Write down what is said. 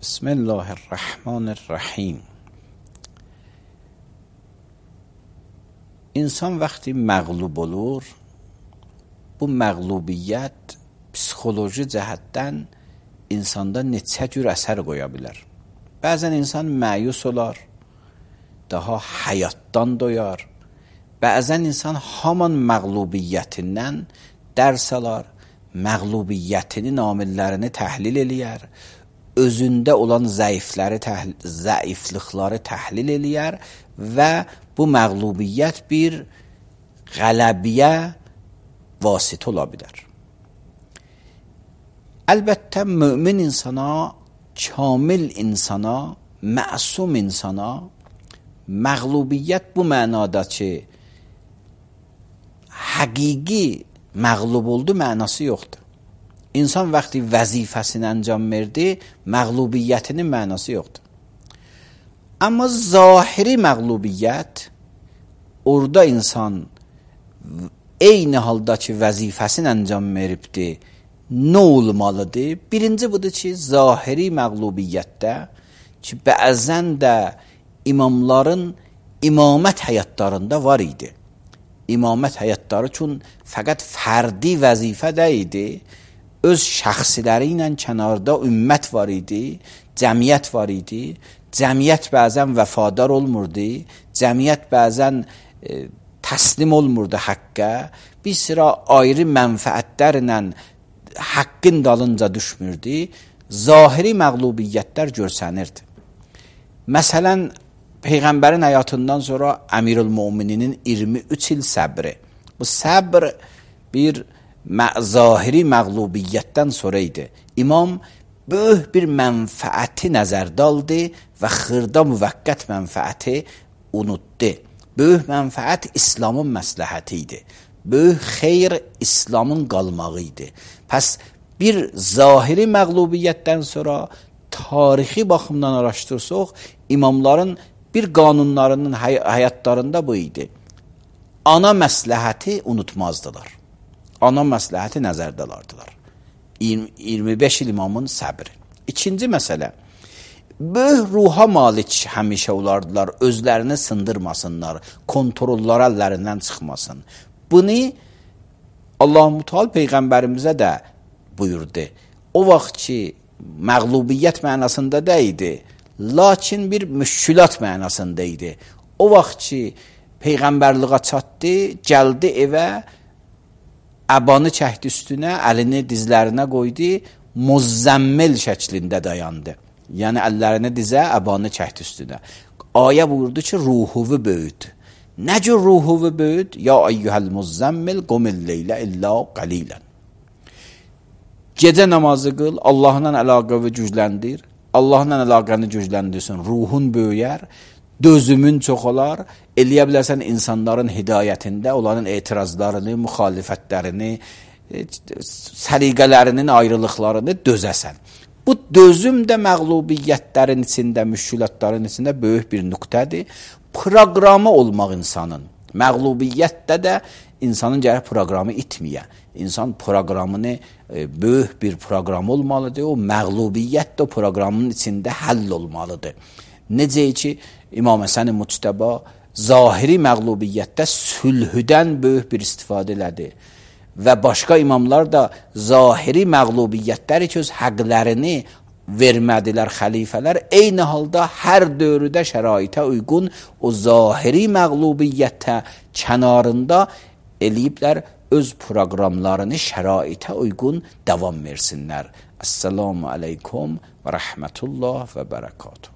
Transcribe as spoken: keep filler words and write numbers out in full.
بسم الله الرحمن الرحیم. insan vəqti məğlub olur, bu məğlubiyyət psixoloji cəhətdən insanda neçə cür əsər qoya bilər. Bəzən insan məyus olar, daha həyatdan doyar. Bəzən insan haman məğlubiyyətindən dərs alar, məğlubiyyətinin amillərini təhlil eləyər, özündə olan zəifləri, zəiflikləri təhlil eləyər və bu məğlubiyyət bir qələbiyə vasitə ola bilər. Əlbəttə, mömin insana, kamil insana, məsum insana məğlubiyyət bu mənada ki, həqiqi məğlub oldu mənası yoxdur. İnsan vəqti vəzifəsini əncam verdi, məğlubiyyətinin mənası yoxdur. Amma zahiri məğlubiyyət, orada insan eyni halda ki, vəzifəsini əncam veribdir, nə olmalıdır? Birinci budur ki, zahiri məğlubiyyətdə ki, bəzən də imamların imamət həyatlarında var idi. İmamət həyatları üçün fəqət fərdi vəzifə də idi, öz şəxsiləri ilə kənarda ümmət var idi, cəmiyyət var idi, cəmiyyət bəzən vəfadar olmurdu, cəmiyyət bəzən e, təslim olmurdu həqqə, bir sıra ayrı mənfəətlərlə haqqın dalınca düşmürdü, zahiri məğlubiyyətlər görsənirdi. Məsələn, Peyğəmbərin həyatından sonra Əmirül-Mömininin iyirmi üç il səbri. Bu səbr bir zahiri məğlubiyyətdən sonra idi. İmam böyük bir mənfəəti nəzərdə aldı və xırda müvəqqət mənfəəti unutdu. Böyük mənfəət İslamın məsləhəti idi. Böyük xeyr İslamın qalmağı idi. Pəs bir zahiri məğlubiyyətdən sonra tarixi baxımdan araşdırsaq, imamların bir qanunlarının hay həyatlarında bu idi. Ana məsləhəti unutmazdılar. Ana məsləhəti nəzərdə alardılar. iyirmi beş il imamın səbri. İkinci məsələ, böyük ruha malik həmişə olardılar, özlərini sındırmasınlar, kontrollar əllərindən çıxmasın. Bunu Allah-u Teala Peyğəmbərimizə də buyurdu. O vaxt ki, məğlubiyyət mənasında deyildi, lakin bir müşkülat mənasında idi. O vaxt ki, Peyğəmbərliğə çatdı, gəldi evə, əbanı çəkdi üstünə, əlini dizlərinə qoydu, muzzəmmil şəklində dayandı. Yəni, əllərini dizə, əbanı çəkdi üstünə. Ayə buyurdu ki, ruhuvu böyüd. Nə cür ruhuvu böyüd? Ya ayyuhəl muzzəmmil qumil leylə illə qalilən. Gecə namazı qıl, Allahla əlaqəvi gücləndir. Allahla əlaqəni gücləndirsin, ruhun böyüyər, dözümün çox olar, eləyə bilərsən insanların hidayətində onların etirazlarını, müxalifətlərini, səliqələrinin ayrılıqlarını dözəsən. Bu dözüm də məğlubiyyətlərin içində, müşkülatların içində böyük bir nöqtədir. Proqramı olmaq insanın, məğlubiyyətdə də insanın gərək proqramı itməyə. İnsan proqramını, e, böyük bir proqram olmalıdır, o məğlubiyyət də o proqramın içində həll olmalıdır. Necə ki, İmam Həsən Muctəba zahiri məğlubiyyətdə sülhüdən böyük bir istifadə elədi və başqa imamlar da zahiri məğlubiyyətləri ki, öz həqlərini vermədilər xəlifələr, eyni halda hər dövrdə şəraitə uyğun o zahiri məğlubiyyətə kənarında eləyiblər, öz proqramlarını şəraitə uyğun davam versinlər. Əssalamu aleykum və rəhmətullah və bərəkatuhu.